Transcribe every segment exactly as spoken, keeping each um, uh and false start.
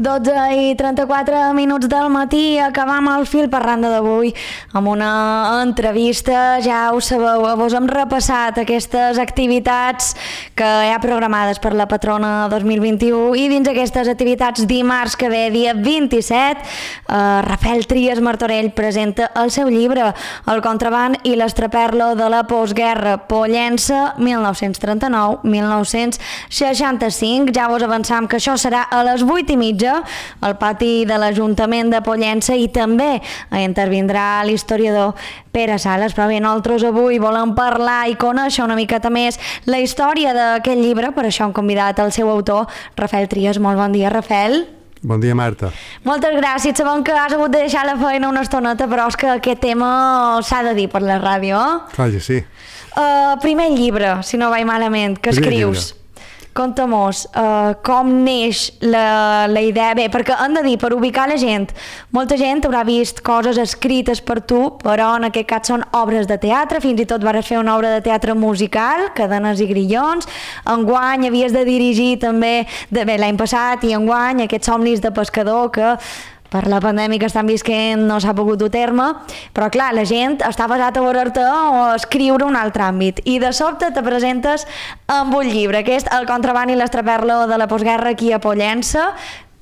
dotze i trenta-quatre minuts del matí, acabam el fil per randa d'avui amb una entrevista. Ja ho sabeu, vos hem repassat aquestes activitats que hi ha programades per la Patrona dos mil vint-i-u, i dins aquestes activitats, dimarts que ve, dia vint-i-set, eh, Rafael Trias Martorell presenta el seu llibre El contraban i l'estraperlo de la postguerra, Pollença mil nou-cents trenta-nou a mil nou-cents seixanta-cinc. Ja vos avançam que això serà a les vuit i mitja al pati de l'Ajuntament de Pollença, i també intervindrà l'historiador Pere Sales. Però bé, nosaltres avui volem parlar i conèixer una miqueta més la història d'aquest llibre, per això hem convidat el seu autor, Rafael Trias. Molt bon dia, Rafael. Bon dia, Marta. Moltes gràcies. Sabem que has hagut de deixar la feina una estoneta, però és que aquest tema s'ha de dir per la ràdio. Clar que sí. Uh, primer llibre, si no vaig malament, que Primer escrius. llibre. Conta-mos uh, com neix la, la idea. Bé, perquè hem de dir, per ubicar la gent, molta gent haurà vist coses escrites per tu, però en aquest cas són obres de teatre. Fins i tot vas fer una obra de teatre musical, Cadenes i grillons. Enguany havies de dirigir també, de, bé, l'any passat i enguany, aquests somnis de pescador que per la pandèmia que estan visquent no s'ha pogut dur terme, però clar, la gent està basat a veure-te o a escriure un altre àmbit, i de sobte te presentes amb un llibre, que és El contraban i l'estraperlo de la postguerra aquí a Pollença.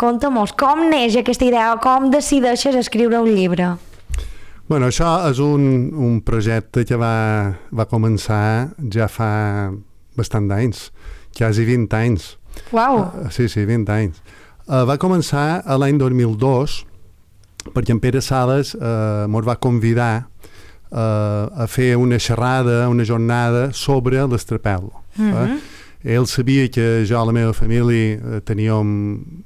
Conta-mos, com neix aquesta idea, com decideixes escriure un llibre? Bueno, això és un, un projecte que va, va començar ja fa bastant d'anys, quasi vint anys. Uau! Uh, sí, sí, vint anys. Uh, va començar a l'any dos mil dos perquè en Pere Sales uh, ens va convidar uh, a fer una xerrada, una jornada sobre l'estrapel·lo. Mm-hmm. eh? Ell sabia que jo i la meva família uh, teníem,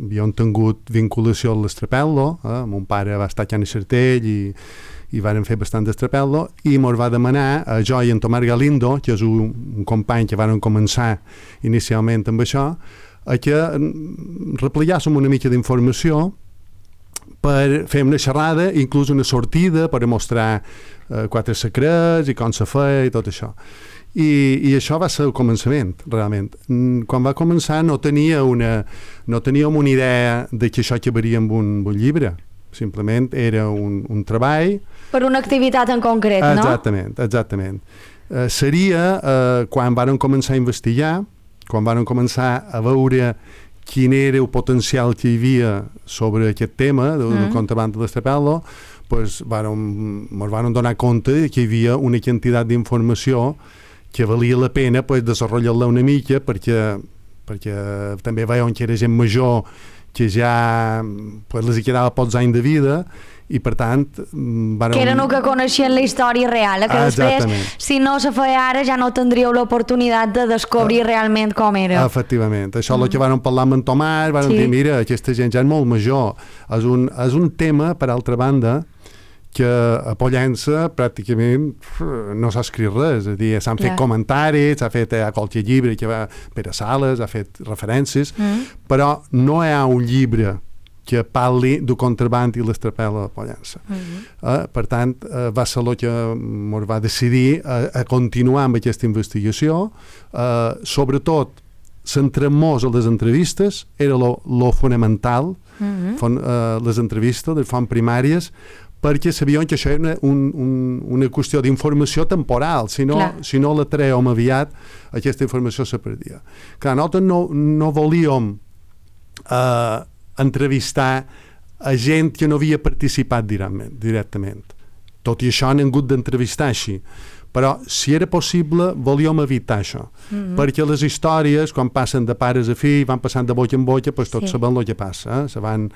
havíem tingut vinculació a l'estrapel·lo. Eh? Mon pare va estar a Can Xartell i, i varen fer bastant d'estrapel·lo, i ens va demanar a jo i en Tomàs Galindo, que és un, un company que varen començar inicialment amb això, a que replegàssim una mica d'informació per fer una xerrada, inclús una sortida per mostrar eh, quatre secrets i com se feia i tot això. I, i això va ser el començament, realment. Quan va començar no tenia una, no teníem una idea de que això acabaria amb un, un llibre. Simplement era un, un treball. Per una activitat en concret, no? Exactament, exactament. Eh, seria eh, quan varen començar a investigar, quan van començar a veure quin era el potencial que hi havia sobre aquest tema del mm. contraban de l'estrapel·lo, pues ens van donar compte que hi havia una quantitat d'informació que valia la pena pues, desenvolupar-la una mica, perquè, perquè també veiem que era gent major que ja pues, les hi quedava pocs anys de vida, i per tant... Varen... Que eren el que coneixien la història real, que ah, després, si no se feia ara, ja no tindríeu l'oportunitat de descobrir ah, realment com era. Efectivament. Això mm. el que varen parlar amb en Tomàs, varen sí. dir, mira, aquesta gent ja és molt major. És un, és un tema, per altra banda, que a Pollença pràcticament no s'ha escrit res, és a dir, s'han fet yeah. comentaris, s'ha fet a qualque llibre que va Pere Sales, ha fet referències, mm. però no hi ha un llibre que parli del contraban i l'estrapel·lo de Pollença. Mm-hmm. eh, per tant, eh, va ser el que ens va decidir a, a continuar amb aquesta investigació. Eh, sobretot, centrem-nos a les entrevistes, era lo fonamental, mm-hmm. fon, eh, les entrevistes, les font primàries, perquè sabíem que això era una, un, un, una qüestió d'informació temporal. Si no, si no la traiem aviat, aquesta informació se perdia. Clar, nosaltres no, no volíem eh, entrevistar a gent que no havia participat directament. Tot i això han hagut d'entrevistar així. Però, si era possible, volíem evitar això. Mm-hmm. Perquè les històries, quan passen de pares a fill, van passant de boca en boca, doncs tots sí. sabem el que passa. Eh? Se van,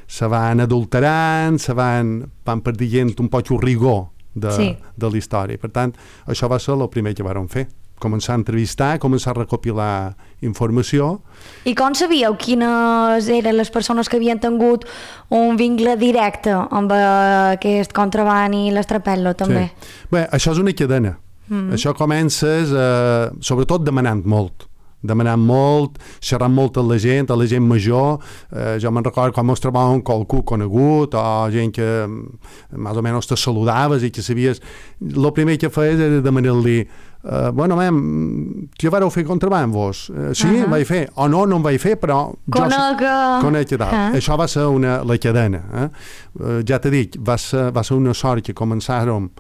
se van adulterant, se van, van perdent un poc el rigor de, sí. de la història. Per tant, això va ser el primer que vam fer. Començar a entrevistar, començar a recopilar informació. I com sabíeu quines eren les persones que havien tingut un vincle directe amb aquest contraban i l'estrapel·lo, també? Sí. Bé, això és una cadena. Mm-hmm. Això comences, eh, sobretot, demanant molt. Demanant molt, xerrant molt amb la gent, a la gent major. Eh, jo me'n recordo quan ens trobàvem qualcú conegut, o gent que més o menys te saludaves i que sabies... El primer que feies era demanar-li Uh, bueno, mem, què vareu fer contraband vos? Uh, sí, uh -huh. vaig fer. O no, no en vaig fer, però... Conec... Jo, conec que tal. Uh -huh. Això va ser una, la cadena. Eh? Uh, ja t'he dit, va ser, va ser una sort que començàrem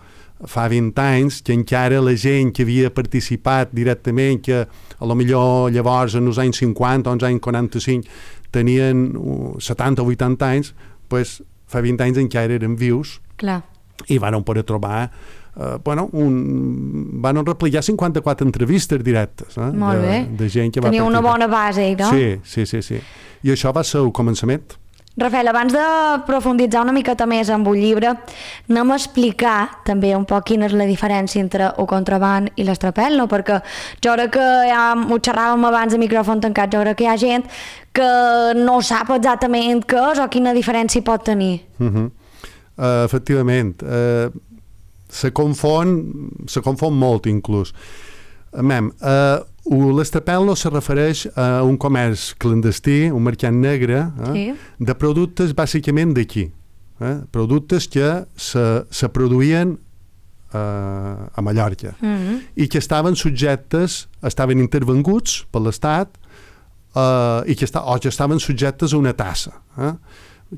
fa vint anys, que encara la gent que havia participat directament, que a lo millor llavors en els anys cinquanta o els anys quaranta-cinc tenien setanta o vuitanta anys, pues, fa vint anys encara eren vius. Clar. I van poder trobar Uh, bueno, un, van replicar cinquanta-quatre entrevistes directes, eh? Molt bé. De, de gent que va Tenia participar. una bona base, no? Sí, sí, sí, sí. I això va ser el començament. Rafael, abans de profunditzar una miqueta més amb el llibre, anem a explicar també un poc quina és la diferència entre el contraband i l'estrapel, no? Perquè jo crec que ja ho xerràvem abans de micròfon tancat, jo crec que hi ha gent que no sap exactament què és o quina diferència pot tenir. Uh -huh. uh, efectivament. Uh, se confon, se confon molt inclús. Mem, uh, l'estrapel·lo se refereix a un comerç clandestí, un mercat negre, eh, sí. de productes bàsicament d'aquí. Eh, productes que se, se produïen uh, a Mallorca mm-hmm. i que estaven subjectes, estaven intervenguts per l'Estat uh, i que, esta, o que estaven subjectes a una tassa. Eh?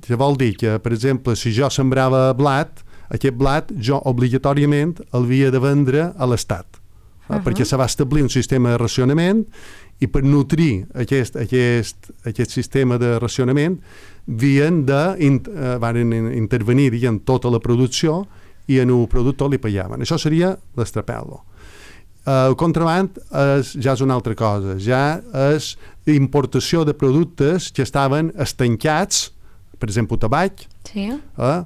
Que vol dir que, per exemple, si jo sembrava blat, aquest blat jo obligatòriament el havia de vendre a l'Estat, uh -huh. perquè se va establir un sistema de racionament i per nutrir aquest, aquest, aquest sistema de racionament havien de in, uh, van intervenir diguem, tota la producció i en el productor li pagaven. Això seria l'estrapel·lo. Uh, el contraband és, ja és una altra cosa, ja és importació de productes que estaven estancats, per exemple, tabac, sí. eh?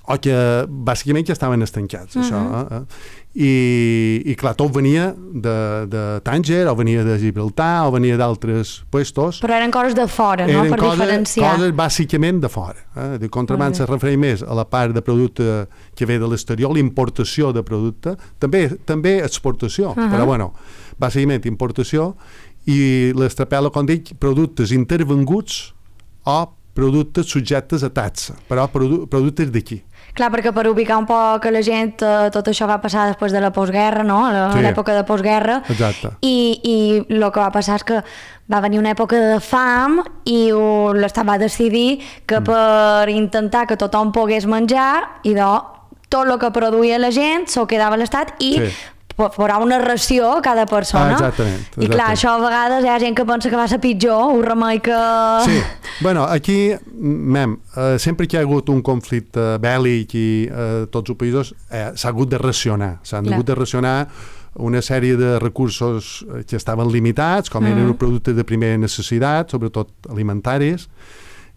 o que bàsicament ja estaven estancats, uh -huh. això. Eh? I, I clar, tot venia de, de Tànger, o venia de Gibraltar, o venia d'altres puestos. Però eren coses de fora, no? Per coses, diferenciar. coses bàsicament de fora. Eh? El contraband se refereix més a la part de producte que ve de l'exterior, l'importació de producte, també, també exportació, uh -huh. però bueno, bàsicament importació, i l'estrapel·lo, com dic, productes intervenguts o productes subjectes a taxa, però produ productes d'aquí. Clar, perquè per ubicar un poc a la gent, eh, tot això va passar després de la postguerra, no? A sí. l'època de postguerra. Exacte. I, i el que va passar és que va venir una època de fam i l'Estat va decidir que mm. per intentar que tothom pogués menjar, i de tot el que produïa la gent s'ho quedava a l'Estat i sí. posar una ració a cada persona. Ah, exactament, exactament. I clar, això a vegades hi ha gent que pensa que va ser pitjor, un remei que... Sí, bueno, aquí, mem, eh, sempre que hi ha hagut un conflicte bèl·lic i eh, tots els països eh, s'ha hagut de racionar, s'han hagut de racionar una sèrie de recursos que estaven limitats, com eren mm. els productes de primera necessitat, sobretot alimentaris,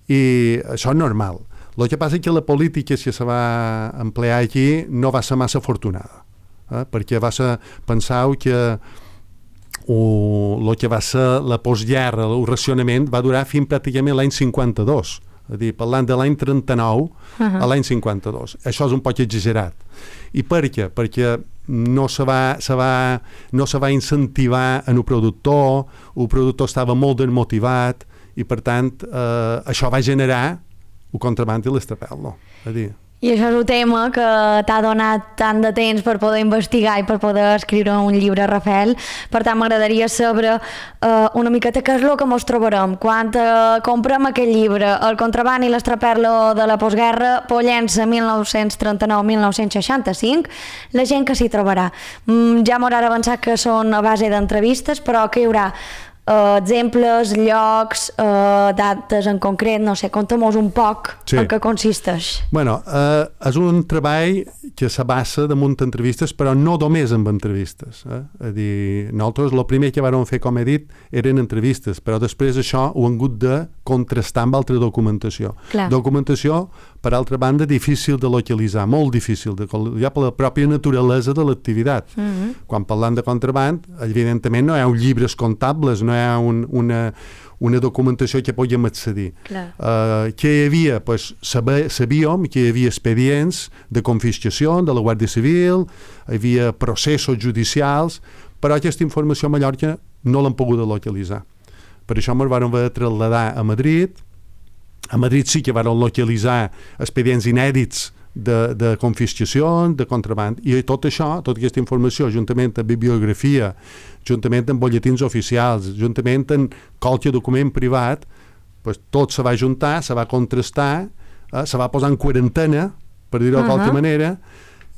i això és normal. El que passa és que la política que se va emplear aquí no va ser massa afortunada. Eh? Perquè va ser, pensau que el que va ser la postguerra, el racionament, va durar fins pràcticament l'any cinquanta-dos, és a dir, parlant de l'any trenta-nou uh -huh. a l'any cinquanta-dos. Això és un poc exagerat. I per què? Perquè no se va, se va, no se va incentivar en el productor, el productor estava molt desmotivat i, per tant, eh, això va generar el contraband i l'estrapel·lo. És a dir, I això és un tema que t'ha donat tant de temps per poder investigar i per poder escriure un llibre, Rafael. Per tant, m'agradaria saber uh, una miqueta què és el que mos trobarem quan uh, comprem aquest llibre, El contraband i l'estrapel·lo de la postguerra, Pollença mil nou-cents trenta-nou a mil nou-cents seixanta-cinc, la gent que s'hi trobarà. Mm, ja m'haurà avançat que són a base d'entrevistes, però que hi haurà Uh, exemples, llocs, uh, dates en concret, no sé, conta'm-nos un poc sí. en què consisteix. Bueno, uh, és un treball que s'abassa damunt d'entrevistes, però no només amb entrevistes. Eh? És a dir, nosaltres el primer que vam fer, com he dit, eren entrevistes, però després això ho hem hagut de contrastar amb altra documentació. Clar. Documentació, per altra banda, difícil de localitzar, molt difícil de localitzar per la pròpia naturalesa de l'activitat. Mm-hmm. Quan parlant de contraband, evidentment no hi ha llibres comptables, no hi ha un, una, una documentació que podíem accedir. Uh, que hi havia, pues, sabíem que hi havia expedients de confiscació de la Guàrdia Civil, hi havia processos judicials, però aquesta informació a Mallorca no l'han pogut localitzar. Per això ens vam haver de traslladar a Madrid. A Madrid sí que van localitzar expedients inèdits de, de confiscacions, de contraband, i tot això, tota aquesta informació, juntament amb bibliografia, juntament amb bolletins oficials, juntament amb qualsevol document privat, pues, tot se va juntar, se va contrastar, eh, se va posar en quarantena, per dir-ho uh -huh. de qualque manera,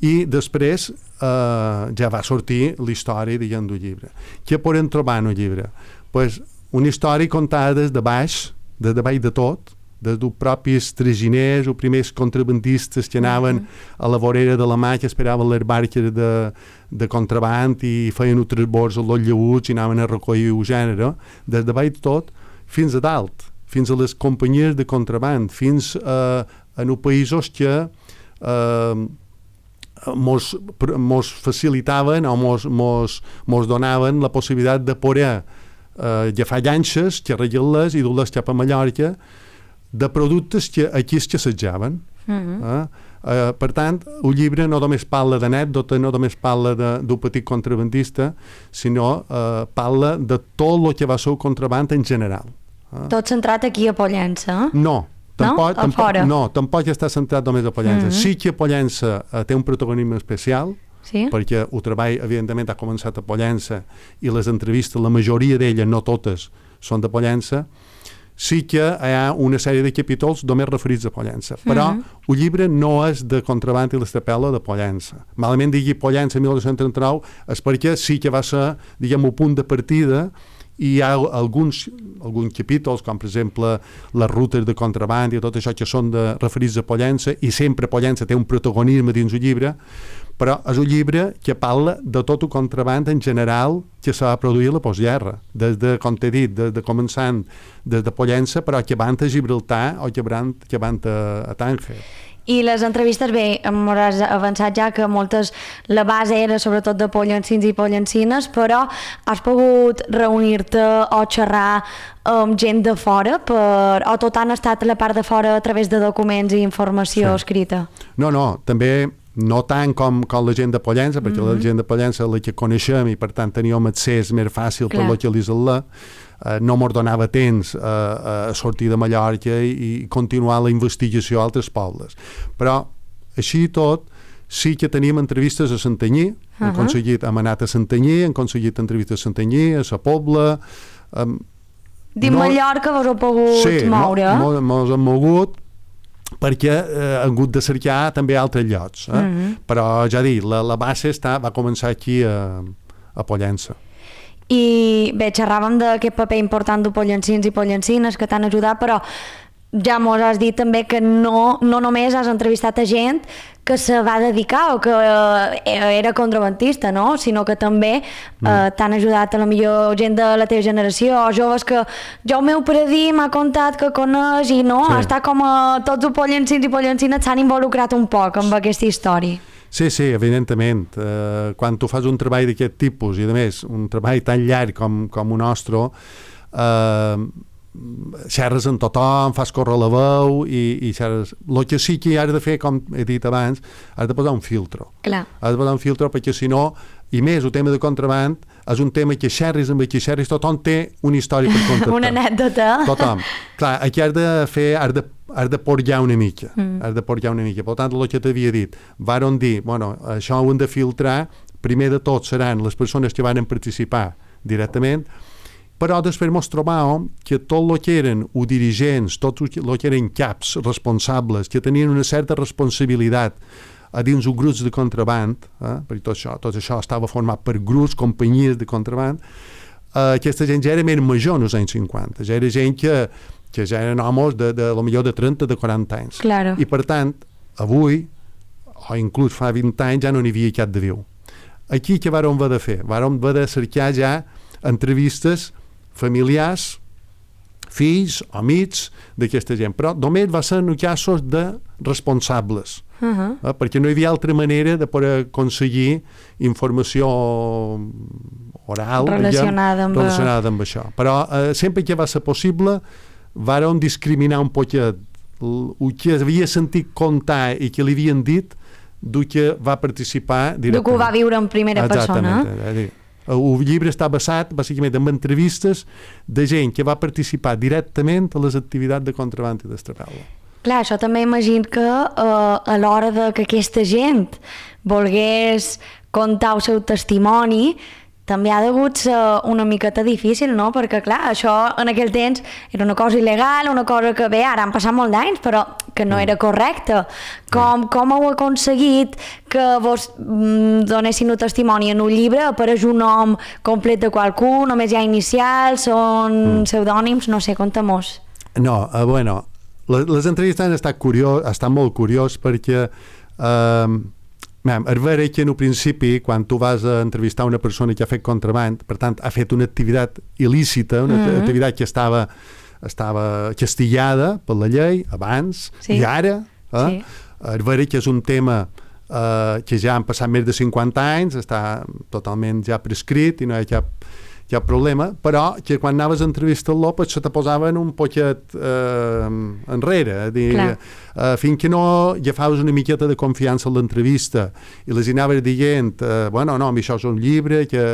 i després eh, ja va sortir la història, diguem, del llibre. Què podem trobar en el llibre? Pues, una història contada des de baix, des de baix de tot, des dels propis traginers o primers contrabandistes que anaven uh -huh. a la vorera de la mà, que esperaven les barques de, de contraband i feien un transbors a los llaüts i anaven a recollir el gènere, des de baix de tot fins a dalt, fins a les companyies de contraband, fins a, a els països que eh, mos, mos facilitaven o mos, mos, mos donaven la possibilitat de poder eh, agafar llanxes, xerrar-les i dur-les cap a Mallorca, de productes que aquí es assetjaven. Uh-huh. eh? Uh, per tant, el llibre no només parla d'anècdota, no només parla d'un petit contrabandista, sinó uh, parla de tot el que va ser el contraband en general. Eh? Tot centrat aquí a Pollença? No. Tampoc, no? tampoc, no, tampoc està centrat només a Pollença. Uh-huh. Sí que Pollença uh, té un protagonisme especial, sí? Perquè el treball, evidentment, ha començat a Pollença i les entrevistes, la majoria d'elles, no totes, són de Pollença. Sí que hi ha una sèrie de capítols només referits a Pollença, però uh-huh. el llibre no és de contraband i l'estrapel·la de Pollença. Malament digui Pollença mil nou-cents trenta-nou és perquè sí que va ser, diguem, un punt de partida, i hi ha alguns, alguns capítols, com per exemple les rutes de contraband i tot això que són de, referits a Pollença, i sempre Pollença té un protagonisme dins el llibre, però és un llibre que parla de tot el contraband en general que s'ha produït a la postguerra, des de, com t'he dit, des de començant des de Pollença, però que van a Gibraltar o que van, que van a, a Tànger. I les entrevistes, bé, m'hauràs avançat ja que moltes, la base era sobretot de pollencins i pollencines, però has pogut reunir-te o xerrar amb gent de fora, per, o tot han estat a la part de fora a través de documents i informació sí. escrita? No, no, també no tant com, com la gent de Pollença, perquè mm-hmm. la gent de Pollença la que coneixem i per tant teníem accés més fàcil Clar. Per localitzar-la. Uh, no mos donava temps uh, a sortir de Mallorca i, i continuar la investigació a altres pobles. Però, així i tot, sí que tenim entrevistes a Santanyí, uh-huh. hem aconseguit, hem anat a Santanyí, hem aconseguit entrevistes a Santanyí, a Sa Pobla... Um, Dins no, Mallorca vos heu pogut sí, moure? Sí, no, mos hem mogut, perquè eh, hem hagut de cercar també altres llocs. Eh? Uh-huh. Però, ja dic, la, la base està, va començar aquí a, a Pollença. I bé, xerràvem d'aquest paper important de pollencins i pollencines que t'han ajudat, però ja mos has dit també que no, no només has entrevistat a gent que se va dedicar o que eh, era contrabandista, no? Sinó que també mm. eh, t'han ajudat a la millor gent de la teva generació o joves que jo el meu predí m'ha contat que coneix i no, sí. està com a tots els pollencins i pollencines s'han involucrat un poc amb aquesta història. Sí, sí, evidentment. Uh, quan tu fas un treball d'aquest tipus, i a més, un treball tan llarg com, com un nostre, uh, xerres amb tothom, fas córrer la veu i, i xerres. El que sí que has de fer, com he dit abans, has de posar un filtre. Clar. Has de posar un filtre perquè si no, i més, el tema de contraband és un tema que xerris amb qui xerris, tothom té una història per contar. Una anècdota. Tothom. Clar, aquí has de fer, has de has de porjar una mica, mm. has de porjar una mica. Per tant, el que t'havia dit, varen dir, bueno, això ho hem de filtrar, primer de tot seran les persones que van participar directament, però després ens trobàvem que tot el que eren o dirigents, tot el que eren caps responsables, que tenien una certa responsabilitat a dins els grups de contraband, eh, perquè tot això, tot això estava format per grups, companyies de contraband, eh, aquesta gent ja era més major en els anys cinquanta, ja era gent que que ja eren homes de, de, de millor de trenta, de quaranta anys. Claro. I per tant, avui, o inclús fa vint anys, ja no n'hi havia cap de viu. Aquí què vàrem haver de fer? Vàrem haver de cercar ja entrevistes familiars, fills, amics d'aquesta gent, però només va ser en casos de responsables, uh-huh. eh? perquè no hi havia altra manera de poder aconseguir informació oral relacionada, diguem, amb... relacionada amb això. Però eh, sempre que va ser possible vàrem discriminar un poquet el que havia sentit contar i que li havien dit del que va participar directament. Du que ho va viure en primera persona. Exactament. El llibre està basat bàsicament en entrevistes de gent que va participar directament a les activitats de contraband i d'estrapel·la. Clar, això també imagino que uh, a l'hora de que aquesta gent volgués contar el seu testimoni, també ha degut ser una miqueta difícil, no? Perquè, clar, això en aquell temps era una cosa il·legal, una cosa que, bé, ara han passat molt d'anys, però que no era correcta. Com, com heu aconseguit que vos mm, donessin un testimoni en un llibre? Apareix un nom complet de qualcú, només hi ha inicials, són mm. pseudònims, no sé, conta-mos. No, uh, bueno, les, les entrevistes han estat, curiós, han estat molt curiós perquè... Uh, Mem, és vera que en un principi, quan tu vas a entrevistar una persona que ha fet contraband, per tant, ha fet una activitat il·lícita, una mm-hmm. activitat que estava, estava castigada per la llei abans sí. i ara, eh? sí. és vera que és un tema eh, que ja han passat més de cinquanta anys, està totalment ja prescrit i no hi ha cap, cap problema, però que quan anaves a entrevistar-lo pues, se te posaven un poquet eh, enrere, dir, eh, fins que no agafaves una miqueta de confiança en l'entrevista i les anaves dient, eh, bueno, no, això és un llibre, que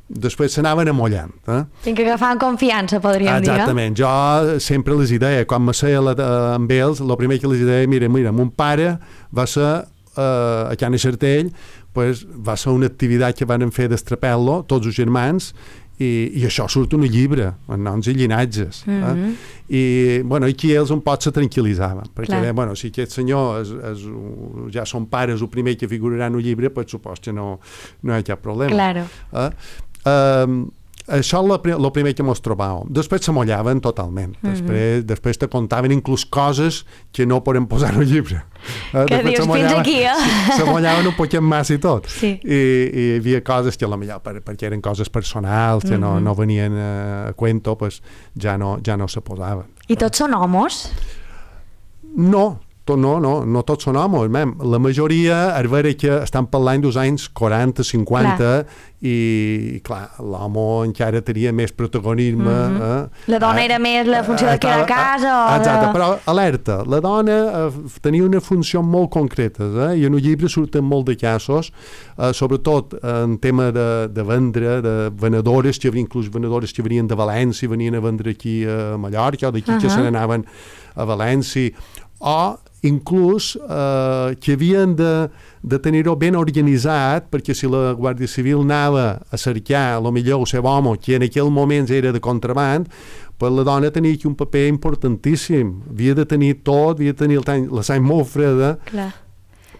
després s'anaven amollant. Eh? Fins que agafaven confiança, podríem dir. Exactament, jo sempre les deia, quan me seia la, amb ells, el primer que les deia, mira, mira, mon pare va ser eh, a Can Xartell, pues, va ser una activitat que van fer d'estrapel·lo, tots els germans, I, i això surt un llibre amb noms i llinatges mm-hmm. eh? I bueno, aquí ells un pot se tranquil·litzaven perquè bé, bueno, si aquest senyor és, és, ja són pares el primer que figurarà en un llibre pues supos que no, no hi ha cap problema claro. eh? Eh, això és el primer que mos trobàvem. Després s'amollaven totalment. Mm-hmm. Després, després te contaven inclús coses que no podem posar en el llibre. Eh? Que dius, fins aquí, eh? S'amollaven un poquet massa i tot. Sí. I, I hi havia coses que potser per, perquè eren coses personals, que mm-hmm. no, no venien a cuento, pues, ja, no, ja no se posaven. I tots són homes? No. No, no, no tots són homes, mem. La majoria és vera que estan parlant dels anys quaranta, cinquanta clar. I, clar, l'home encara tenia més protagonisme. Mm-hmm. eh? La dona era més la funció de quedar a casa o exacte, de... però alerta, la dona eh, tenia una funció molt concreta eh? I en el llibre surten molt de casos, eh, sobretot en tema de, de vendre, de venedores, que inclús venedores que venien de València, venien a vendre aquí a Mallorca, o d'aquí uh-huh. que se n'anaven a València, o inclús eh, que havien de, de tenir-ho ben organitzat perquè si la Guàrdia Civil anava a cercar el millor el seu home que en aquell moment era de contraband, pues la dona tenia aquí un paper importantíssim, havia de tenir tot, havia de tenir el, la sang molt freda. Clar.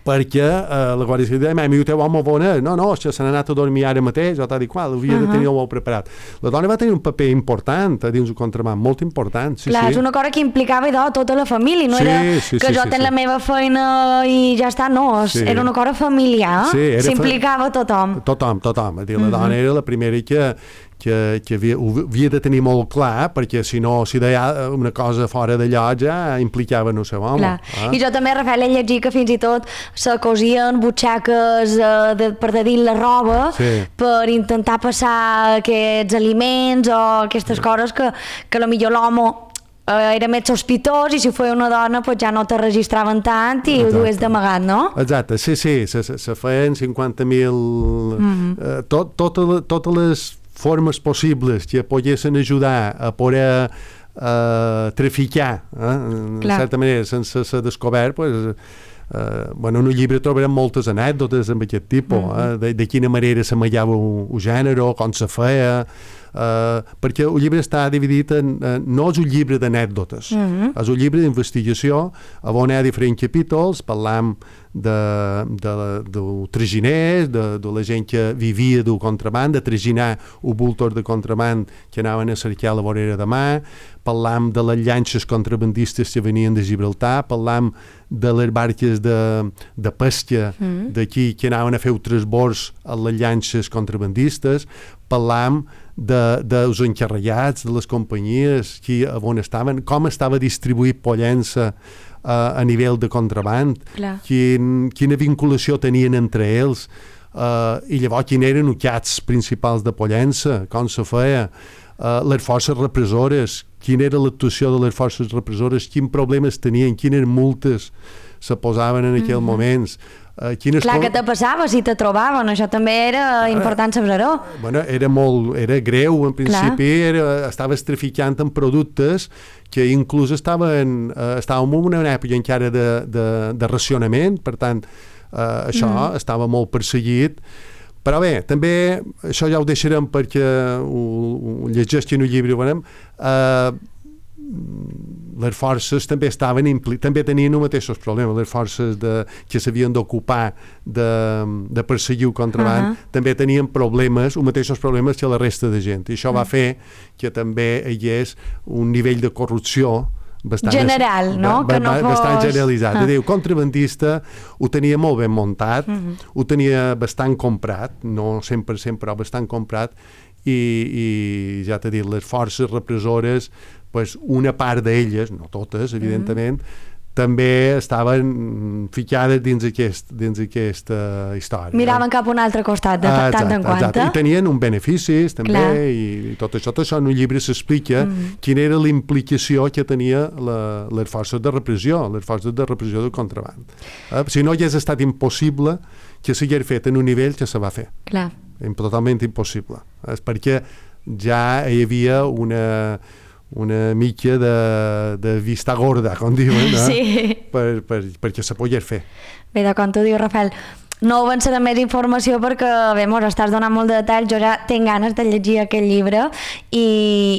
Perquè eh, la Guàrdia Civil deia, i el teu home on és? No, no, se n'ha anat a dormir ara mateix, o tal i qual, havia uh-huh. de tenir-ho molt preparat. La dona va tenir un paper important a dins el contraband, molt important. Sí, clar, sí. És una cosa que implicava idò, tota la família, no sí, era sí, que sí, jo sí, tenc sí. la meva feina i ja està, no, sí. Era una cosa familiar, sí, s'implicava fa... tothom. Tothom, tothom. Dir, la uh-huh. dona era la primera que que, que havia, havia de tenir molt clar perquè si no, si deia una cosa fora d'allò ja implicava en el seu home. Eh? I jo també, Rafael, he llegit que fins i tot se cosien butxaques eh, de, per de dins la roba sí. per intentar passar aquests aliments o aquestes coses que, que potser l'home eh, era més sospitós i si fos una dona pues ja no te registraven tant i Exacte. Ho dues d'amagat, no? Exacte, sí, sí, se, se, se feien cinquanta mil mm-hmm. eh, tot, totes, totes les formes possibles que poguessin ajudar a poder uh, traficar, eh? en certa manera, sense ser descobert, pues, uh, bueno, en un llibre trobarem moltes anècdotes amb aquest tipus, mm-hmm. eh? de, de quina manera s'amallava el gènere, com se feia, Uh, perquè el llibre està dividit en, uh, no és un llibre d'anècdotes, mm-hmm. és un llibre d'investigació on hi ha diferents capítols, parlam de, de, de traginers, de, de la gent que vivia del contraband, de traginar un bultor de contraband que anaven a cercar a la vorera de mà, parlam de les llanxes contrabandistes que venien de Gibraltar, parlam de les barques de, de pesca mm-hmm. d'aquí que anaven a fer transbords a les llanxes contrabandistes, parlam de, dels encarregats, de les companyies, qui, on estaven, com estava distribuït Pollença uh, a nivell de contraband, quin, quina vinculació tenien entre ells, uh, i llavors quins eren els cats principals de Pollença, com se feia, uh, les forces repressores, quina era l'actuació de les forces repressores, quins problemes tenien, quines multes se posaven en aquells mm-hmm. moments, Uh, quines Clar, com... que te passava si te trobaven, això també era important saber-ho. Bueno, era molt, era greu, en principi, era, estaves traficant en productes que inclús estaven, uh, estàvem en una època encara de, de, de racionament, per tant, uh, això mm. estava molt perseguit. Però bé, també, això ja ho deixarem perquè ho, ho llegeixin el llibre, veurem, uh, les forces també estaven impli- també tenien els mateixos problemes, les forces de, que s'havien d'ocupar de, de perseguir el contraband, uh-huh. també tenien problemes, els mateixos problemes que la resta de gent, i això uh-huh. va fer que també hi hagués un nivell de corrupció bastant general, no? Ba, ba, que no fos... bastant generalitzat. Ah. El contrabandista ho tenia molt ben muntat, uh-huh. ho tenia bastant comprat, no cent per cent, però bastant comprat, i, i ja t'he dit, les forces repressores, pues una part d'elles, no totes, evidentment, mm-hmm. també estaven ficades dins, aquest, dins aquesta història. Miraven cap a un altre costat, de ah, tant en quant. Exacte. I tenien un beneficis, també, i, i tot això. Tot això en un llibre s'explica mm. quina era la implicació que tenia la, les forces de repressió, les forces de repressió del contraband. Eh? Si no hagués estat impossible que s'hagués fet en un nivell que se va fer. Clar. Totalment impossible. És perquè ja hi havia una... una mica de, de vista gorda, com diuen, eh? Sí. per, per, perquè se pogués fer. Bé, de com t'ho diu, Rafael, no avançaré més informació perquè, bé, mos estàs donant molt de detall, jo ja tinc ganes de llegir aquest llibre i,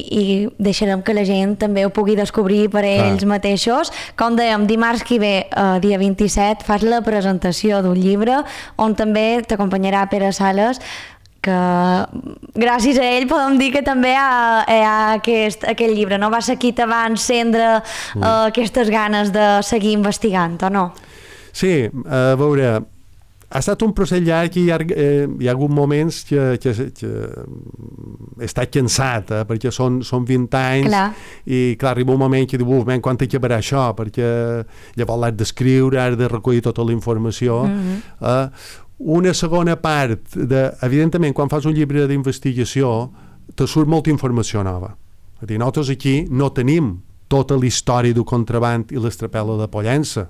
i deixarem que la gent també ho pugui descobrir per ells ah. mateixos. Com dèiem, dimarts que ve, eh, dia vint-i-set, fas la presentació d'un llibre on també t'acompanyarà Pere Sales, que gràcies a ell podem dir que també hi ha, hi ha aquest, aquest llibre, no? Va ser qui te va encendre mm. uh, aquestes ganes de seguir investigant, o no? Sí, a veure, ha estat un procés llarg i hi ha, eh, hi ha hagut moments que, que, que he estat cansat, eh, perquè són, són vint anys clar. I clar, arriba un moment que diu, uf, men, quan acabarà això? Perquè llavors l'has d'escriure, has de recollir tota la informació. Mm-hmm. Eh, Una segona part, de, evidentment, quan fas un llibre d'investigació, te surt molta informació nova. És a dir, nosaltres aquí no tenim tota la història del contraband i l'estrapel·la de Pollença,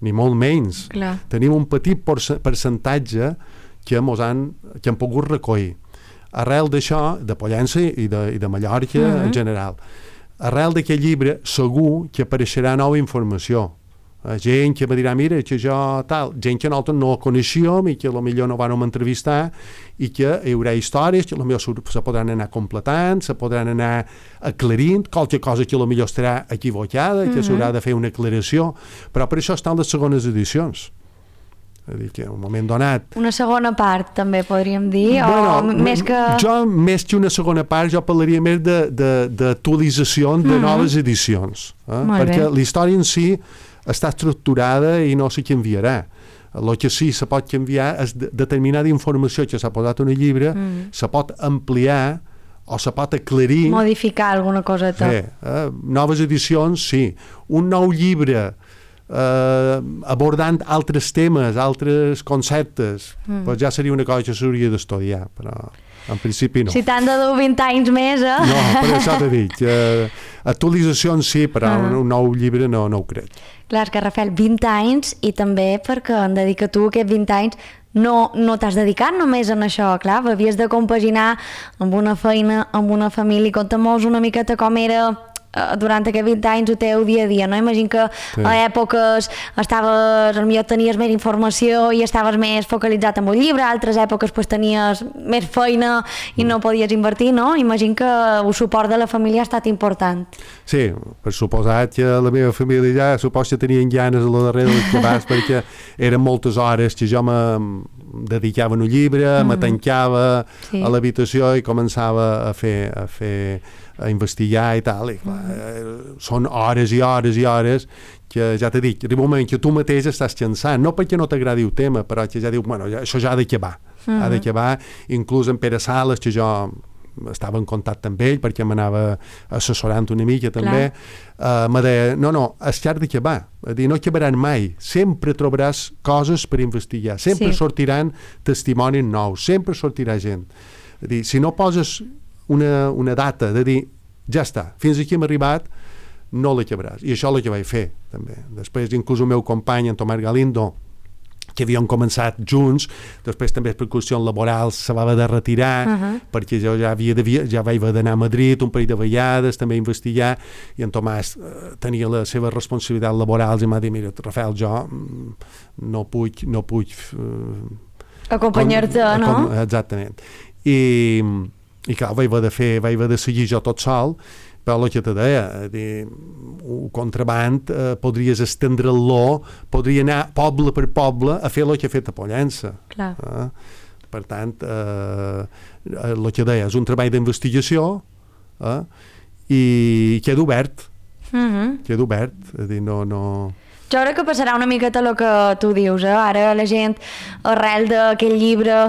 ni molt menys. Clar. Tenim un petit percentatge que mos han, que han pogut recollir. Arrel d'això, de Pollença i de, i de Mallorca mm-hmm. en general, arrel d'aquest llibre segur que apareixerà nova informació. Gent que me dirà, mira, que jo tal, gent que nosaltres no coneixíem i que potser no vam entrevistar i que hi haurà històries que potser se podran anar completant, se podran anar aclarint, qualque cosa que potser estarà equivocada, que mm-hmm. s'haurà de fer una aclaració, però per això estan les segones edicions. És a dir, que en un moment donat... Una segona part, també podríem dir, bueno, o més que... Jo, més que una segona part, jo parlaria més d'actualització de, de, de mm-hmm. noves edicions. Eh? Perquè bé. La història en si està estructurada i no se canviarà. El que sí se pot canviar és de, determinada informació que s'ha posat en el llibre, mm. se pot ampliar o se pot aclarir... Modificar alguna coseta. Sí, eh? Noves edicions, sí. Un nou llibre eh, abordant altres temes, altres conceptes, mm. pues ja seria una cosa que s'hauria d'estudiar, però en principi no. Si t'han de dur vint anys més, eh? No, per això t'he dit. Eh, actualitzacions sí, però uh-huh. un nou llibre no, no ho crec. Clar, és que Rafael, vint anys, i també perquè en dedica tu aquests vint anys no, no t'has dedicat només en això, clar, havies de compaginar amb una feina, amb una família. Conta'm-nos una miqueta com era durant aquests vint anys el teu dia a dia, no? Imagino que sí. a èpoques estaves, potser tenies més informació i estaves més focalitzat en un llibre, a altres èpoques pues, tenies més feina i no podies invertir, no? Imagino que el suport de la família ha estat important. Sí, per suposat que la meva família ja supos que tenien ganes a la darrere del que vas, perquè eren moltes hores que jo me dedicava a un llibre, mm. me tancava sí. a l'habitació i començava a fer, a fer a investigar i tal, i clar, eh, són hores i hores i hores que ja t'he dit, arriba un moment que tu mateix estàs cansant, no perquè no t'agradi el tema, però que ja dius, bueno, ja, això ja ha d'acabar, uh-huh. ha d'acabar, inclús en Pere Sales, que jo estava en contacte amb ell perquè m'anava assessorant una mica també, uh, me deia, no, no, és que ha d'acabar, és a dir, no acabaran mai, sempre trobaràs coses per investigar, sempre sí. sortiran testimonis nous, sempre sortirà gent. És a dir, si no poses Una, una data de dir, ja està, fins aquí hem arribat, no l'acabaràs. I això és el que vaig fer, també. Després, inclús el meu company, en Tomàs Galindo, que havien començat junts, després també per qüestions laborals se va haver de retirar, uh-huh. perquè jo ja, havia de, ja vaig haver d'anar a Madrid un parell de vegades, també a investigar, i en Tomàs eh, tenia les seves responsabilitats laborals i m'ha dit, mira, Rafael, jo no puc, no puc eh, acompanyar-te, com, no? Com, exactament. I, i clar, vaig haver de fer, vaig haver de seguir jo tot sol, però el que te deia, dir, un contraband eh, podries estendre-lo, podria anar poble per poble a fer el que ha fet a Pollença. Clar. Eh? Per tant, eh, el que deia, és un treball d'investigació eh? i queda obert. Mm-hmm. Queda obert. És dir, no... no... Jo crec que passarà una miqueta el que tu dius, eh? Ara la gent, arrel d'aquell llibre,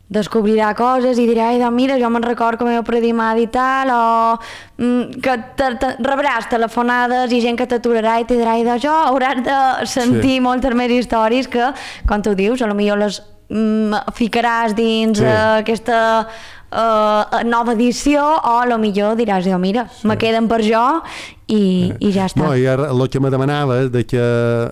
descobrirà coses i dirà, ai, doncs mira, jo me'n record com heu predimat i tal, o mm, que te, te, rebràs telefonades i gent que t'aturarà i te dirà, ai, doncs jo hauràs de sentir sí. moltes més històries que, com tu dius, a lo millor les mm, ficaràs dins sí. uh, aquesta uh, nova edició, o a lo millor diràs, jo, mira, sí. me queden per jo i, eh. i ja està. No, i ara el que me demanava és de que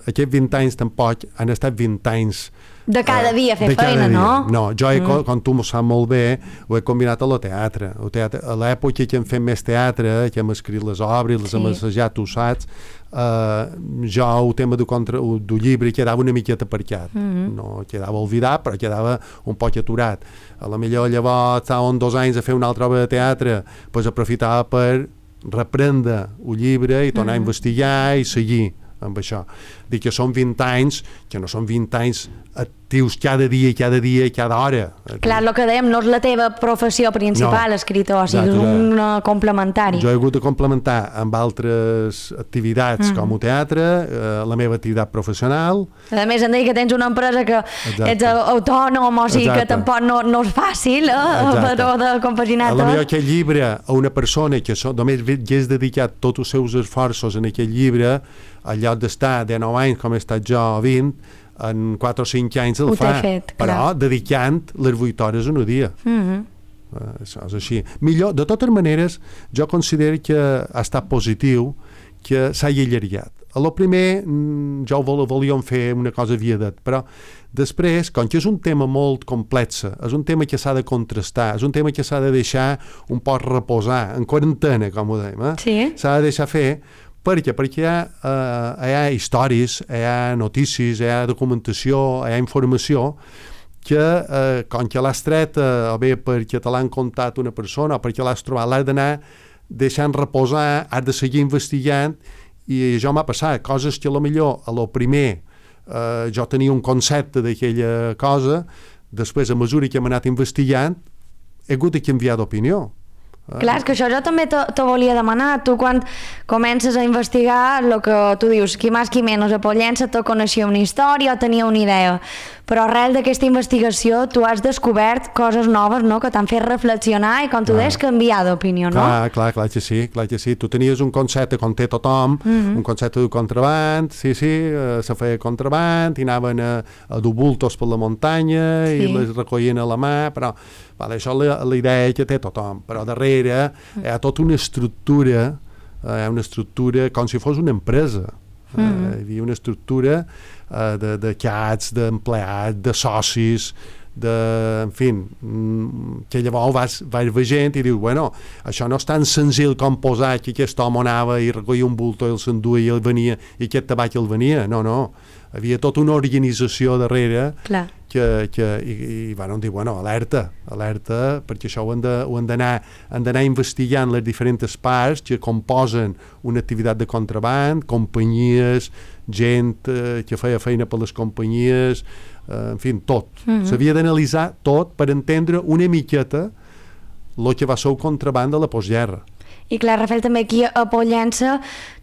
aquests vint anys tampoc han estat vint anys de cada dia fer feina, no? No, jo, he, mm. com tu m'ho saps molt bé, ho he combinat a lo teatre. El teatre a l'època que hem fet més teatre, que hem escrit les obres, les sí. hem assajat, tu saps, uh, jo el tema del, contra, del llibre quedava una miqueta aparcat. Mm-hmm. No quedava oblidat, però quedava un poc aturat. A la millor llavors estàvem dos anys a fer una altra obra de teatre, doncs aprofitava per reprendre el llibre i tornar mm-hmm. a investigar i seguir amb això. Dic que són vint anys, que no són vint anys actius cada dia, cada dia i cada hora. Clar, el que dèiem, no és la teva professió principal, no. escritor, o sigui, és un uh, complementari. Jo he hagut de complementar amb altres activitats mm. com el teatre, eh, la meva activitat professional. A més, em deia que tens una empresa que Exacte. ets autònom, o sigui Exacte. que tampoc no, no és fàcil, eh, però de compaginar tot. A la millor aquest llibre, a una persona que so, només hagués dedicat tots els seus esforços en aquest llibre, al lloc d'estar de nou anys com he estat jo vint, en quatre o cinc anys el Ho fa, fet, però clar. dedicant les vuit hores en un dia. Mm-hmm. Uh, això és així. Millor, de totes maneres, jo considero que ha estat positiu que s'hagi allargat. A lo primer, jo vol, volíem fer una cosa viadet, però després, com que és un tema molt complex, és un tema que s'ha de contrastar, és un tema que s'ha de deixar un poc reposar, en quarantena, com ho dèiem, eh? Sí. S'ha de deixar fer. Per què? Perquè hi ha, uh, hi ha històries, hi ha notícies, hi ha documentació, hi ha informació que, uh, com que l'has tret, uh, o bé perquè te l'han contat una persona o perquè l'has trobat, l'has d'anar deixant reposar, has de seguir investigant, i això m'ha passat, coses que a lo millor a lo primer uh, jo tenia un concepte d'aquella cosa, després a mesura que hem anat investigant he hagut de canviar d'opinió. Ah. Clar, és que això jo també te, te volia demanar. Tu quan comences a investigar, el que tu dius, qui més qui menys a Pollença, tu coneixia una història o tenia una idea, però arrel d'aquesta investigació tu has descobert coses noves, no?, que t'han fet reflexionar i, com tu deies, canviar d'opinió, no? Clar, clar, clar que sí, clar que sí. Tu tenies un concepte com té tothom, mm-hmm. un concepte de contraband, sí, sí, eh, se feia contraband, i anaven a, a dur bultos per la muntanya sí. i les recollien a la mà, però vale, això és la, la idea que té tothom, però darrere hi ha tota una estructura, hi ha una estructura com si fos una empresa. Mm-hmm. Uh, hi havia una estructura uh, de, de cats, d'empleats, de socis, de, en fi, que llavors vas, vas veient i dius, bueno, això no és tan senzill com posar que aquest home anava i recollia un bulto i el s'enduia i el venia i aquest tabac el venia, no, no. Havia tota una organització darrere. Clar. que, que i, i van dir, bueno, alerta, alerta, perquè això ho han de, ho han d'anar han d'anar investigant les diferents parts que composen una activitat de contraband, companyies, gent eh, que feia feina per les companyies, eh, en fi, tot. Mm-hmm. S'havia d'analitzar tot per entendre una miqueta el que va ser el contraband de la postguerra. I clar, Rafael, també aquí a Pollença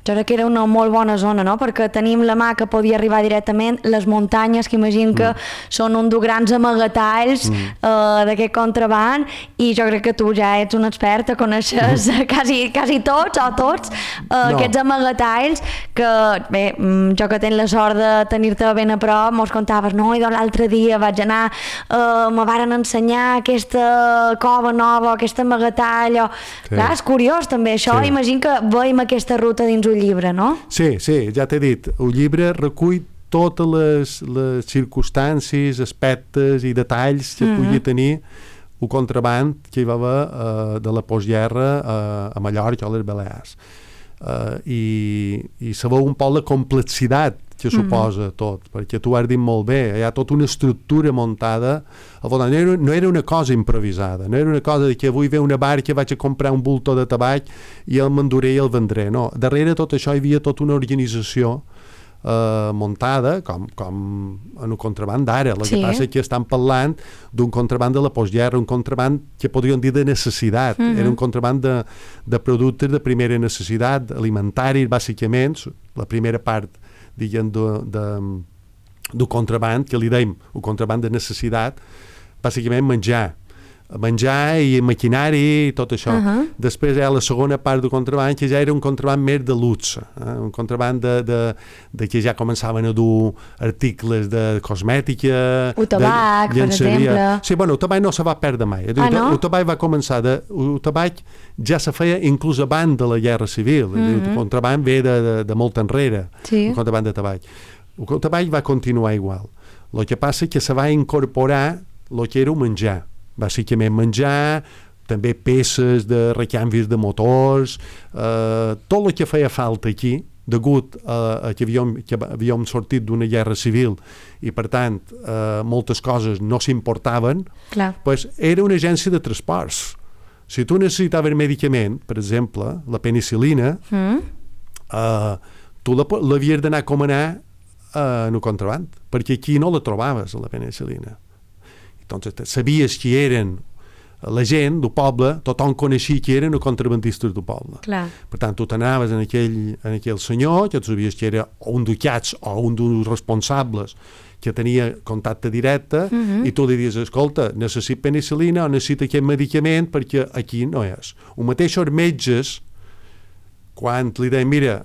jo crec que era una molt bona zona, no?, perquè tenim la mà que podia arribar directament, les muntanyes, que imagino que mm. són un dels grans amagatalls mm. uh, d'aquest contraband, i jo crec que tu ja ets un expert, te coneixes mm. quasi, quasi tots o tots uh, no. aquests amagatalls que, bé, jo que tenc la sort de tenir-te ben a prop, mos contaves, no, i doncs l'altre dia vaig anar, uh, me varen ensenyar aquesta cova nova, aquest amagatall, o... sí. Clar, és curiós també això, sí. Imagino que veiem aquesta ruta dins un llibre, no? Sí, sí, ja t'he dit, el llibre recull totes les, les circumstàncies, aspectes i detalls que mm-hmm. pugui tenir el contraband que hi va haver uh, de la postguerra uh, a Mallorca o a les Balears. Uh, i, i sabeu un poc la complexitat que suposa mm-hmm. tot, perquè tu has dit molt bé, hi ha tota una estructura muntada al voltant. No era, no era una cosa improvisada, no era una cosa de que avui ve una barca, vaig a comprar un bulto de tabac i el m'enduré i el vendré. No, darrere tot això hi havia tota una organització Uh, muntada com, com en el contraband d'ara. El sí. que passa és que estan parlant d'un contraband de la postguerra, un contraband que podríem dir de necessitat. Mm-hmm. Era un contraband de, de productes de primera necessitat, alimentaris, bàsicament. La primera part, diguem, de, de, del contraband, que li deim el contraband de necessitat, bàsicament menjar. menjar i maquinari i tot això. Uh-huh. Després hi ha la segona part del contraband, que ja era un contraband més de luxe, eh? Un contraband de, de, de que ja començaven a dur articles de cosmètica, o tabac, per exemple. Sí, bueno, el tabac no se va perdre mai. Ah, no? El tabac va començar, de, el tabac ja se feia inclús abans de la guerra civil. Uh-huh. El contraband ve de, de, de molt enrere, sí. El contraband de tabac. El tabac va continuar igual. El que passa és que se va incorporar el que era el menjar. Bàsicament menjar, també peces de recanvis de motors, eh, tot el que feia falta aquí, degut a, a que, havíem, que havíem sortit d'una guerra civil i, per tant, eh, moltes coses no s'importaven, pues, era una agència de transports. Si tu necessitaves medicament, per exemple, la penicil·lina, mm. eh, tu l'havies d'anar a comanar eh, en el contraband, perquè aquí no la trobaves, la penicil·lina. Entonces, sabies qui eren la gent del poble, tothom coneixia qui eren els contrabandistes del poble. Clar. Per tant, tu t'anaves en aquell, en aquell senyor, que tu sabies que era un ducats o un dels responsables que tenia contacte directe, uh-huh. i tu li dius, escolta, necessito penicil·lina o necessito aquest medicament perquè aquí no és. O mateix els metges, quan li deien, mira,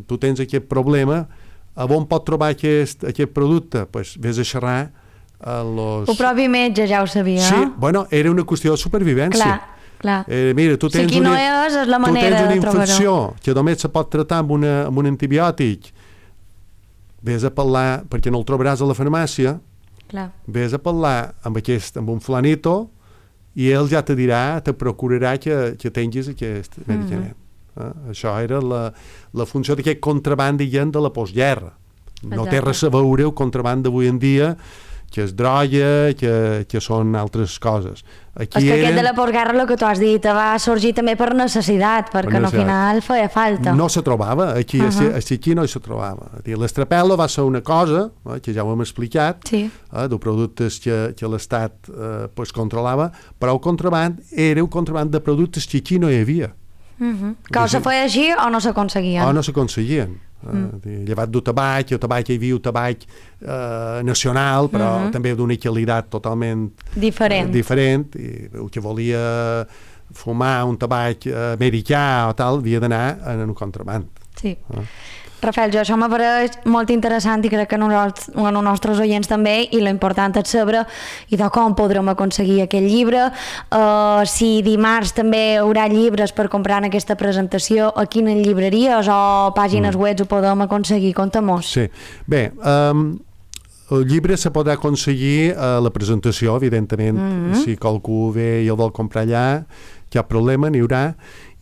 tu tens aquest problema, a on pot trobar aquest, aquest producte? Doncs pues, vés a xerrar a los... El propi metge ja ho sabia. Sí, bueno, era una qüestió de supervivència. Clar, clar. Eh, mira, tu tens, si una, no és, és la manera tu tens una de infecció que només se pot tratar amb, una, amb un antibiòtic, vés a parlar, perquè no el trobaràs a la farmàcia, clar. Vés a parlar amb, aquest, amb un flanito i ell ja te dirà, te procurarà que, que tinguis aquest mm-hmm. medicament. Eh? Això era la, la funció d'aquest contraband, diguem, de la postguerra. No Exacte. Té res a veure el contraband d'avui en dia, que és droga, que, que són altres coses. Aquí és que eren... aquest de la postguerra, el que tu has dit, va sorgir també per necessitat, perquè per necessitat. Al final feia falta. No se trobava, aquí, uh-huh. així, aquí no se trobava. L'estrapel·lo va ser una cosa, eh, que ja ho hem explicat, sí. eh, de productes que, que l'Estat eh, pues, controlava, però el contraband era un contraband de productes que aquí no hi havia. Uh-huh. Que o se feia així o no s'aconseguien. O no s'aconseguien. Mm. Uh, llevat del tabac, el tabac hi havia el tabac uh, nacional, però mm-hmm. també d'una qualitat totalment diferent. Uh, diferent i el que volia fumar un tabac uh, americà o tal havia d'anar en un contraband. Sí. Uh. Rafael, jo això m'apareix molt interessant i crec que nosaltres, a nostres oients també, i l'important és saber i de com podrem aconseguir aquest llibre, uh, si dimarts també hi haurà llibres per comprar en aquesta presentació, a quines llibreries o pàgines mm. web ho podem aconseguir, contem-nos. Sí, bé, um, el llibre se podrà aconseguir a la presentació, evidentment, mm-hmm. si qualcú ve i el vol comprar allà, cap problema, n'hi haurà,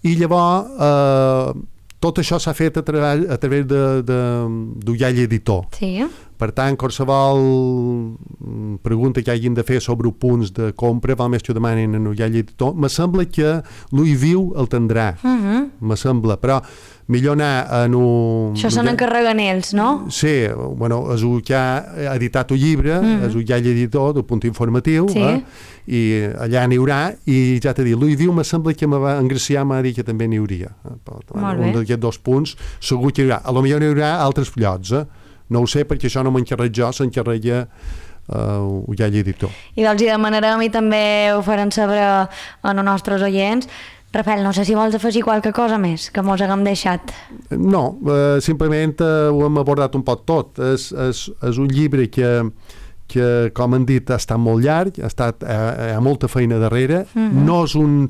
i llavors eh, tot això s'ha fet a, tra a través d'Ullall Editor. Sí. Per tant, qualsevol pregunta que hagin de fer sobre punts de compra, val més que ho demanin en Ullall Editor. Me sembla que l'Ull Viu el tindrà, uh-huh. me sembla, però millor anar en un... Això se n'encarreguen ells, no? Sí, bueno, és el que ha editat el llibre, uh-huh. és Ullall Editor, del punt informatiu, sí. eh? I allà n'hi haurà, i ja t'he dit, l'Ull Viu me sembla que me va, en Gracià m'ha dit que també n'hi hauria. Eh? Molt un d'aquests dos punts segur que hi haurà. A lo millor n'hi haurà altres llocs, eh? No ho sé, perquè això no m'encarreg jo, s'encarrega uh, Ullall Editor. I doncs hi demanarem i també ho farem saber a els nostres oients. Rafael, no sé si vols afegir qualque cosa més que mos haguem deixat. No, uh, simplement uh, ho hem abordat un poc tot. És, és, és un llibre que, que, com han dit, ha estat molt llarg, ha, estat, uh, hi ha molta feina darrere, mm-hmm. no és un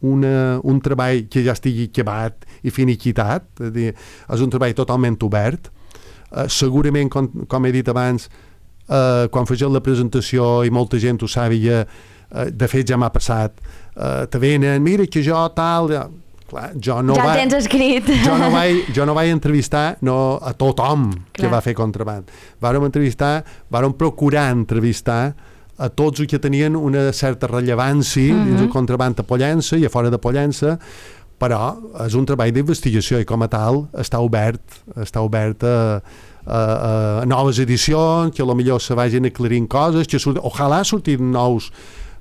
Una, un treball que ja estigui acabat i finiquitat, és, dir, és un treball totalment obert. Uh, segurament, com, com he dit abans, uh, quan fegeu la presentació i molta gent ho sàpiga, uh, de fet ja m'ha passat, uh, te venen, mira que jo tal... Ja, clar, jo no ja va, tens escrit. Jo no vaig, jo no vaig entrevistar no, a tothom clar. Que va fer contraband. Vàrem entrevistar, vàrem procurar entrevistar a tots els que tenien una certa rellevància uh-huh. dins el contraband a Pollença i a fora de Pollença, però és un treball d'investigació i com a tal està obert, està obert a, a, a noves edicions, que potser se vagin aclarint coses, que surt, ojalà surtin nous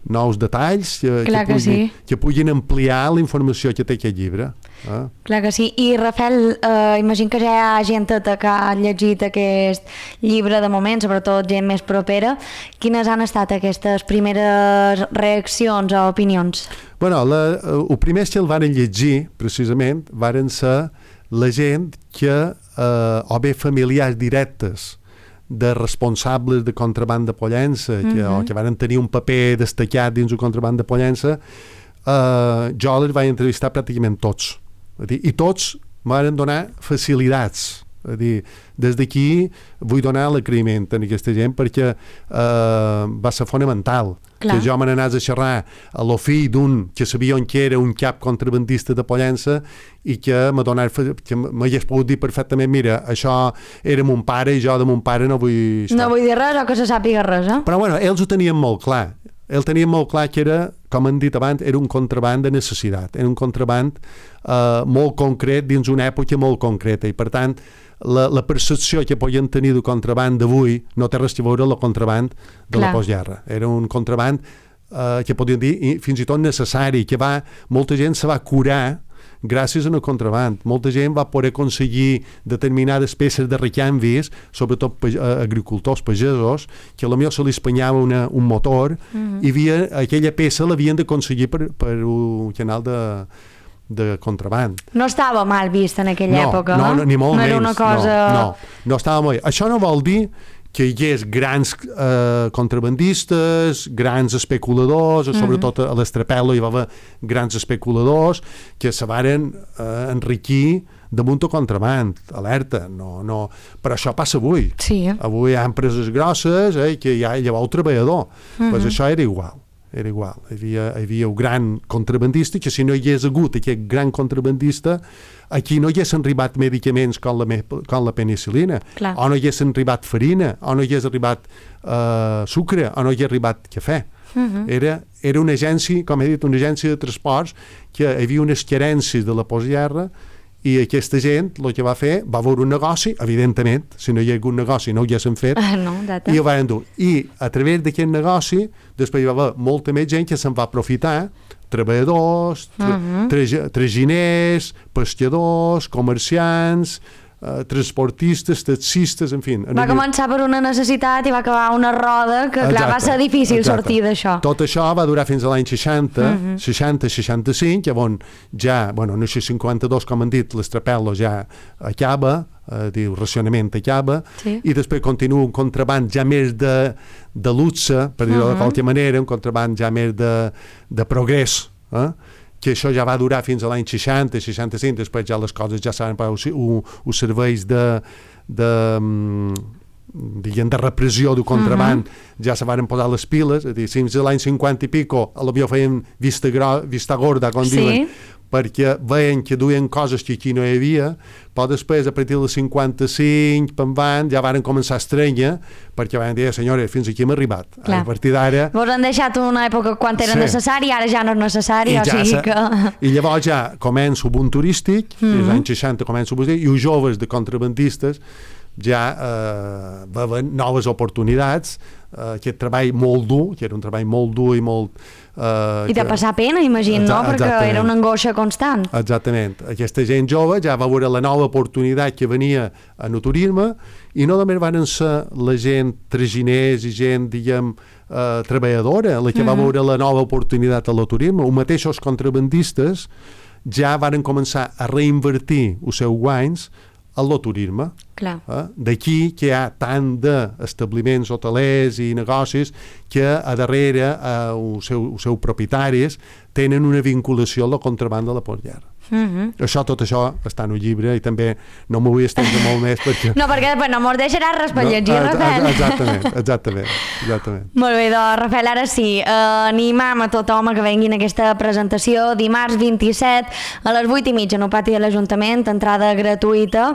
nous detalls que, Clar que, que, puguin, sí. que puguin ampliar la informació que té aquest llibre. Eh? Clar que sí. I Rafael, eh, imagino que ja hi ha gent que ha llegit aquest llibre de moment, sobretot gent més propera. Quines han estat aquestes primeres reaccions o opinions? Bueno, la, el primer que el van llegir, precisament, varen ser la gent que, eh, o bé familiars directes de responsables de contraband de Pollença, que, uh-huh. o que van tenir un paper destacat dins el contraband de Pollença, eh, jo els vaig entrevistar pràcticament tots. Dir, i tots m'han donar facilitats. És dir, des d'aquí vull donar l'agraïment a aquesta gent perquè eh, va ser fonamental. Clar. Que jo me n'anés a xerrar a lo fill d'un que sabia on que era un cap contrabandista de Pollença i que m'hagués pogut dir perfectament, mira, això era mon pare i jo de mon pare no vull... No vull dir res o que se sàpiga res, eh? Però bueno, ells ho tenien molt clar. Ells tenien molt clar que era, com han dit abans, era un contraband de necessitat, era un contraband eh, molt concret dins una època molt concreta i per tant la, la percepció que podien tenir del contraband d'avui no té res a veure amb el contraband de Clar. La postguerra. Era un contraband eh, que podien dir fins i tot necessari, que va, molta gent se va curar gràcies al contraband. Molta gent va poder aconseguir determinades peces de recanvis, sobretot pe- agricultors, pagesos, que potser se li espanyava una, un motor mm-hmm. i havia, aquella peça l'havien d'aconseguir per, per un canal de de contraband. No estava mal vist en aquella no, època, no? No, ni molt no menys. Era una cosa... No, no, no estava molt bé. Això no vol dir que hi hagués grans eh, contrabandistes, grans especuladors, mm-hmm. sobretot a l'Estrapel·lo hi va haver grans especuladors que se varen eh, enriquir damunt el contraband, alerta, no, no. Però això passa avui. Sí. Avui hi ha empreses grosses eh, que hi ha llavors el treballador. Mm-hmm. Pues això era igual. Era igual, hi havia, hi havia un gran contrabandista que si no hi hagués hagut aquest gran contrabandista aquí no hi haguessin arribat medicaments com la, com la penicil·lina, Clar. O no hi haguessin arribat farina, o no hi hagués arribat uh, sucre, o no hi hagués arribat cafè. Uh-huh. Era, era una agència, com he dit, una agència de transports que hi havia unes carències de la postguerra i aquesta gent el que va fer va veure un negoci, evidentment, si no hi ha hagut negoci no ho haguessin fet, ah, no, i ho van dur. I a través d'aquest negoci després hi va haver molta més gent que se'n va aprofitar, treballadors, tra- uh-huh. tra- traginers, pescadors, comerciants, eh, transportistes, taxistes, en fi. Va començar per una necessitat i va acabar una roda que, clar, va ser difícil exacte. sortir d'això. Tot això va durar fins a l'any seixanta, uh-huh. seixanta seixanta-cinc, on ja, bueno, no sé, cinquanta-dos, com han dit, l'Estrapel·lo ja acaba, eh, diu, racionament acaba, sí. I després continua un contraband ja més de, de luxe, per dir-ho uh-huh. de qualque manera, un contraband ja més de, de progrés, eh? Que això ja va durar fins a l'any seixanta, seixanta-cinc, després ja les coses ja saben, els serveis de, de, diguem, de repressió del contraband uh-huh. ja se van posar les piles, és a dir, fins a l'any cinquanta i pico, a l'havia feien vista, gro, vista gorda, com sí. diuen, perquè veien que duien coses que aquí no hi havia, però després, a partir del cinquanta-cinc, per van, ja van començar a estrènyer, perquè van dir, senyores, fins aquí hem arribat. Clar. A partir d'ara... Vos han deixat una època quan era sí. necessari, ara ja no és necessari, I o ja sigui sa... que... I llavors ja comença un boom turístic, mm-hmm. als anys seixanta comença un boom turístic, i els joves de contrabandistes ja eh, veuen noves oportunitats, eh, aquest treball molt dur, que era un treball molt dur i molt... Eh, I de que... passar pena, imagino, no? Perquè era una angoixa constant. Exactament. Aquesta gent jove ja va veure la nova oportunitat que venia en el turisme i no només van ser la gent traginers i gent, diguem, eh, treballadora, la que mm-hmm. va veure la nova oportunitat al turisme. Els mateixos contrabandistes ja van començar a reinvertir els seus guanys al turisme. Clar. Eh? D'aquí que hi ha tant d'establiments hotelers i negocis que a darrere eh, els seus seu propietaris tenen una vinculació a la contrabanda de la postguerra. Mm-hmm. Això, tot això està en el llibre i també no m'ho vull estendre molt més perquè... No, perquè després no mos deixarà res per llegir, no, Rafael. Exactament, exactament, exactament. Molt bé, doncs, Rafael, ara sí, eh, animam a tothom a que venguin a aquesta presentació dimarts vint-i-set a les vuit i mitja en el pati de l'Ajuntament, entrada gratuïta,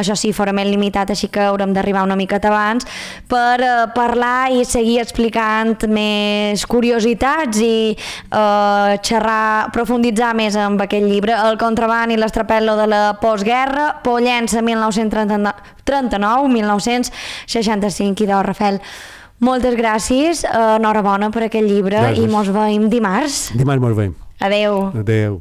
això sí, forament limitat, així que haurem d'arribar una miqueta abans, per eh, parlar i seguir explicant més curiositats i eh, xerrar, profunditzar més amb aquest llibre, El contraband i l'estrapel·lo de la postguerra, Pollença mil nou-cents trenta-nou a mil nou-cents seixanta-cinc. I doncs, Rafael, moltes gràcies, enhorabona per aquest llibre. Gràcies. I mos veiem dimarts. Dimarts mos veiem. Adeu. Adeu.